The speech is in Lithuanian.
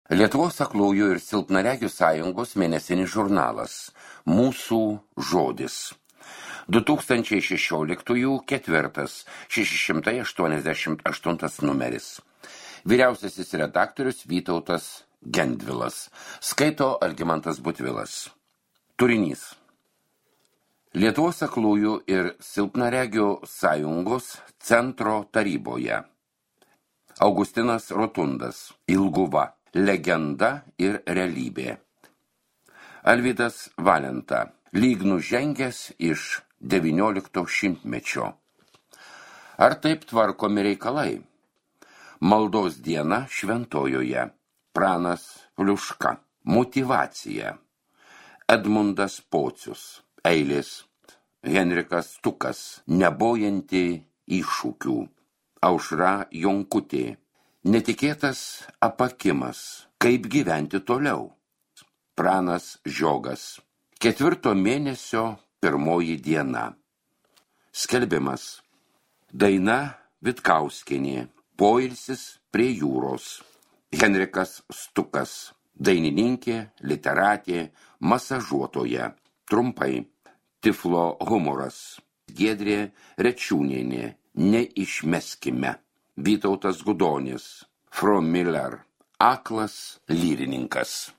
Lietuvos aklųjų ir silpnaregių sąjungos mėnesinis žurnalas Mūsų žodis. 2016 ketvirtas 688 numeris. Vyriausiasis redaktorius Vytautas Gendvilas. Skaito Algimantas Butvilas. Turinys. Lietuvos aklųjų ir silpnaregių sąjungos centro taryboje. Augustinas Rotundas. Ilguva. Legenda ir realybė. Alvydas Valenta. Lyg nužengęs iš 19 šimtmečio. Ar taip tvarkomi reikalai? Maldos diena šventojoje. Pranas Pliuška. Motyvacija. Edmundas Pocius. Eilės. Henrikas Stukas. Nebojanti iššūkių. Aušra Jonkutė. Netikėtas apakimas. Kaip gyventi toliau? Pranas Žiogas. 4 mėnesio 1 diena. Skelbimas. Daina Vitkauskienė. Poilsis prie jūros. Henrikas Stukas. Dainininkė, literatė, masažuotoja. Trumpai. Tiflo humoras. Giedrė Rečiūnienė. Neišmeskime. Vytautas Gudonis. From Miller. Aklas lyrininkas.